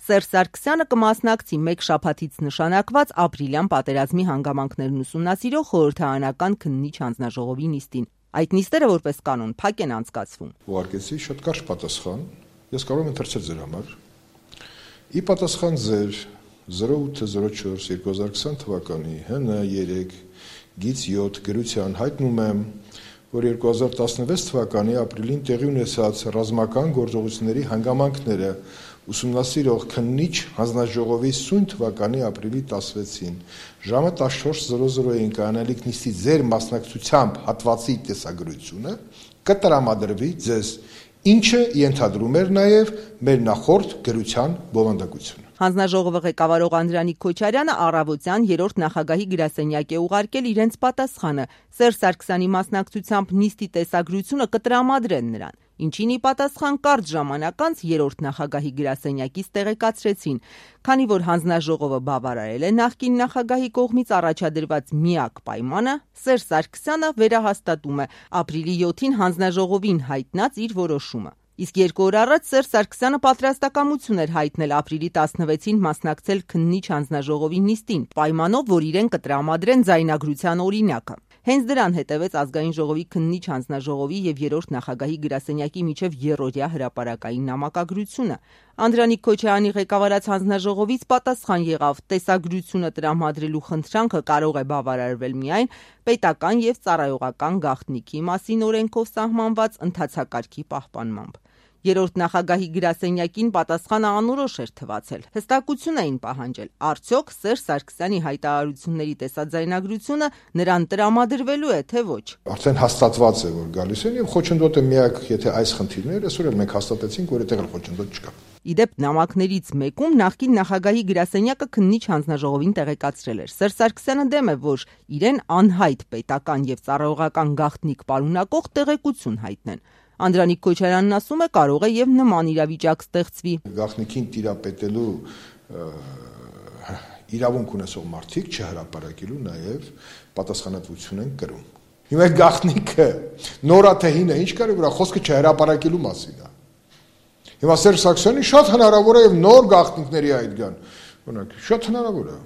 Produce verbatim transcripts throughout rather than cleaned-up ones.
Սերժ Սարգսյանը կմասնակցի մեկ շաբաթից նշանակված ապրիլյան պատերազմի հանգամանքներն ուսումնասիրող խորհրդարանական քննիչ հանձնաժողովի նիստին։ Այդ նիստերը որպես կանոն փակ են անցկացվում։ Ուղարկեցի շատ կարճ պատասխան, ես կարող եմ ընթերցել ձեր համար։ Ի պատասխան ձեր զրո ութ զրո չորս երկու հազար քսան թվականի հն երեք գիծ յոթ գրության հայտնում եմ, որ երկու հազար տասնվեց թվականի ապրիլին տեղի ունեցած ռազմական գործողությունների հանգամանքները ուսումնասիրող քննիչ հանձնաժողովի սույն թվականի ապրիլի տասնվեցին ժամը տասնչորս զրո զրոյին կանալիք նիստի ձեր մասնակցությամբ հատվածի տեսագրությունը կտրամադրվի ձեզ, ինչը ենթադրում էր նաև մեր նախորդ գրության բովանդակությունը։ Հանձնաժողովը ղեկավարող Անդրանիկ Քոչարյանը առավոտյան երրորդ նախագահի գրասենյակ է ուղարկել իրենց պատասխանը Սերժ Սարգսյանի մասնակցությամբ նիստի տեսագրությունը կտրամադրեն նրան, ինչին ի պատասխան կարճ ժամանակ անց երրորդ նախագահի գրասենյակից տեղեկացրեցին, քանի որ հանձնաժողովը բավարարել է նախկին նախագահի կողմից առաջադրված միակ պայմանը, Սերժ Սարգսյանը վերահաստատում է ապրիլի յոթին հանձնաժողովին հայտնած իր որոշումը։ Իսկ երկու օր առաջ Սերժ Սարգսյանը պատրաստակամություն էր հայտնել ապրիլի տասնվեցին մասնակցել քննիչ հանձնաժողովի նիստին, պայմանով, որ իրեն կտրամադրեն ձայնագրության օրինակը։ Հենց դրան հետևեց Ազգային ժողովի քննիչ հանձնաժողովի եւ երրորդ նախագահի գրասենյակի միջև եռօրյա հրապարակային նամակագրությունը։ Անդրանիկ Քոչարյանի ղեկավարած հանձնաժողովից պատասխան եղավ՝ տեսագրությունը տրամադրելու խնդրանքը կարող է բավարարվել միայն պետական եւ ծառայողական գաղտնիքի մասին օրենքով սահմանված ընթացակարգի պահպանմամբ։ Երրորդ նախագահի գրասենյակին պատասխանը անորոշ էր թվացել։ Հստակություն էին պահանջել, արդյոք Սերժ Սարգսյանի հայտարարությունների տեսաձայնագրությունը նրան տրամադրվելու է, թե ոչ։ Արդեն հաստատված է, որ գալիս են, եւ խոչընդոտը միակ, եթե այս խնդիրները, այսօր էլ մենք հաստատեցինք, որ այդտեղ էլ խոչընդոտ չկա։ Իդեպ նամակներից մեկում նախկին նախագահի գրասենյակը քննիչ հանձնաժողովին տեղեկացրել էր։ Սերժ Սարգսյանը դեմ է, որ իրեն անհայտ պետական եւ ծառայողական գաղտնիք պարունակող տեղեկություն հայտնեն։ Անդրանիկ Քոչարյանն ասում է, կարող է եւ նման իրավիճակ ստեղծվի։ Գաղտնիքին տիրապետելու իրավունք ունեցող մարդիկ չհրապարակելու նաեւ պատասխանատվություն են կրում։ Հիմա գաղտնիքը նորա թե հինը ինչ կարի վրա խոսքը չհրապարակելու մասին է։ Հիմա Սերժ Սարգսյանի շատ հնարավոր է եւ նոր գաղտնիքների այդ գան։ Օրինակ, շատ հնարավոր է,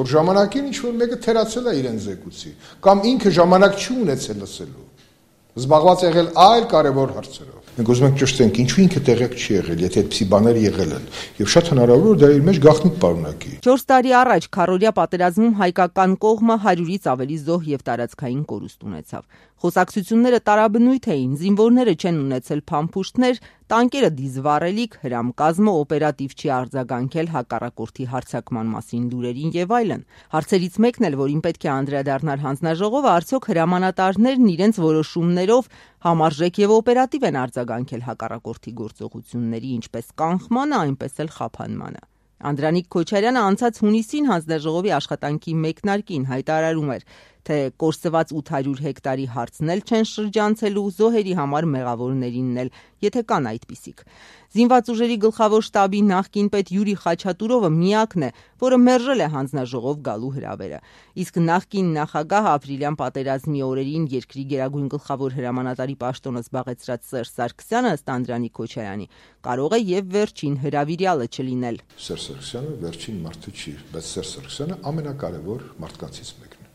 որ ժամանակին ինչ որ մեկը թերացել է իրեն զեկուցի, կամ ինքը ժամանակ չի ունեցել լսելու։ Զբաղված եղել այլ կարևոր հարցերով։ Մենք ուզում ենք ճշտենք, ինչու ինքը տեղյակ չի եղել, եթե այդպիսի բաներ եղել են, եւ շատ հնարավոր որ դա իր մեջ գաղտնիք պարունակի։ չորս տարի առաջ քառօրյա պատերազմում հայկական կողմը հարյուրից ավելի զոհ եւ տարածքային կորուստ ունեցավ։ Խոսակցությունները տարաբնույթ էին, զինվորները չեն ունեցել փամփուշտներ, տանկերը դիզվառելիք, հրամկազմը օպերատիվ չի արձագանքել հակառակորդի հարձակման մասին լուրերին եւ այլն։ Հարցերից մեկն էլ, որին պետք է անդրադառնար հանձնաժողովը, արդյոք հրամանատարներն իրենց որոշումներով համարժեք եւ օպերատիվ են արձագանքել հակառակորդի գործողությունների ինչպես կանխմանը, այնպես էլ խափանմանը։ Անդրանիկ Քոչարյանը անցած հունիսին հանձնաժողովի աշխատանքի մեկնարկին հայտարարում էր, թե կորսված ութ հարյուր հեկտարի հարցն էլ չեն շրջանցելու, զոհերի համար մեղավորներինն էլ, եթե կան այդպիսիք։ Զինված ուժերի գլխավոր շտաբի նախկին պետ Յուրի Խաչատուրովը միակն է, որը մերժել է հանձնաժողով գալու հրավերը։ Իսկ նախկին նախագահ ապրիլյան պատերազմի օրերին երկրի գերագույն գլխավոր հրամանատարի պաշտոնը զբաղեցրած Սերժ Սարգսյանը, ըստ Անդրանիկ Քոչարյանի, կարող է եւ վերջին հրավիրյալը չլինել։ Սերժ Սարգսյանը վերջին մարդը չի, բայց Սերժ Սարգսյանը ամենակարևոր մարդկանցից մեկն է։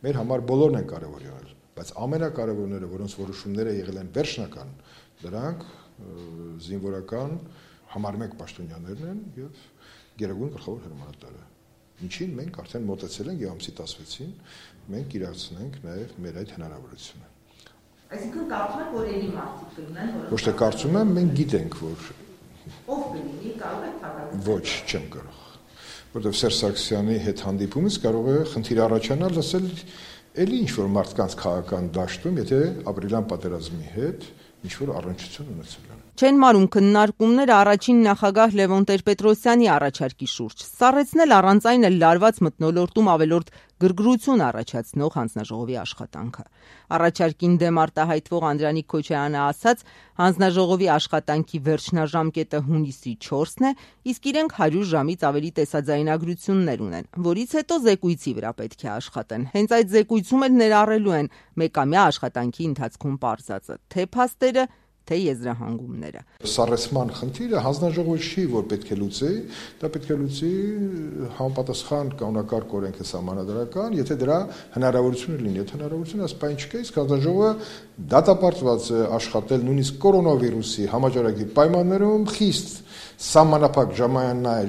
Մեր համար բոլորն են կարևոր եղել, բայց ամենակարևորները, որոնց որոշումները եղել են վերջնական, դրանք զինվորական համար մեկ պաշտոնյաներն են եւ գերագույն գլխավոր հրամանատարը։ Ինչին մենք արդեն մոտեցել ենք եւ ամսի տասնվեցին մենք իրացնենք նաեւ մեր այդ հնարավորությունը։ Այսինքն կարծում եք, որ ելի մարդիկ կլինեն, որ Ոչ թե կարծում եմ, մենք գիտենք, որ ով կլինի, կարող է թակավորել։ Ոչ, չեմ կարող։ Որտեւ Սերժ Սարգսյանի հետ հանդիպումից կարող է խնդիր առաջանալ լսել էլի ինչ որ մարդկանց քաղաքական դաշտում, եթե ապրիլյան պատերազմի հետ ինչ որ առնչություն ունեցել են։ Չեն մարում քննարկումները առաջին նախագահ Լևոն Տեր-Պետրոսյանի առաջարկի շուրջ։ Սառեցնել առանց այն էլ լարված մթնոլորտում ավելորդ գրգռություն առաջացնող հանձնաժողովի աշխատանքը։ Առաջարկին դեմ արտահայտվող Անդրանիկ Քոչարյանը ասաց, հանձնաժողովի աշխատանքի վերջնաժամկետը հունիսի չորսն է, իսկ իրենք հարյուր ժամից ավելի տեսաձայնագրություններ ունեն, որից հետո զեկույցի վրա պետք է աշխատեն։ Հենց այդ զեկույցում էլ ներառելու են մեկամյա աշխատանքի ընթացքում պարզածը, թե փաստերը, թե եզրահանգումները։ Սառեցման խնդիրը հանձնաժողովը չի, որ պետք է լուծի, դա պետք է լուծի համապատասխան կանոնակարգ օրենքը սահմանադրական, եթե դրա հնարավորությունը լինի, եթե հնարավորությունը ասպայն չկա, իսկ հանձնաժողովը դատապարտված է աշխատել նույնիսկ կորոնավիրուսի համաճարակի պայմաններում խիստ սահմանափակ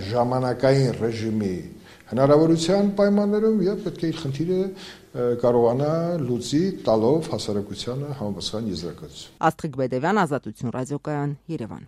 ժամանակային ռեժիմի հնարավորության պայմաններում եւ պետք է իր խնդիրը կարողանա լուծի տալով հասարակությանը համապատասխան եզրակացություն։ Աստղիկ Բեդևյան, Ազատություն ռադիոկայան, Երևան։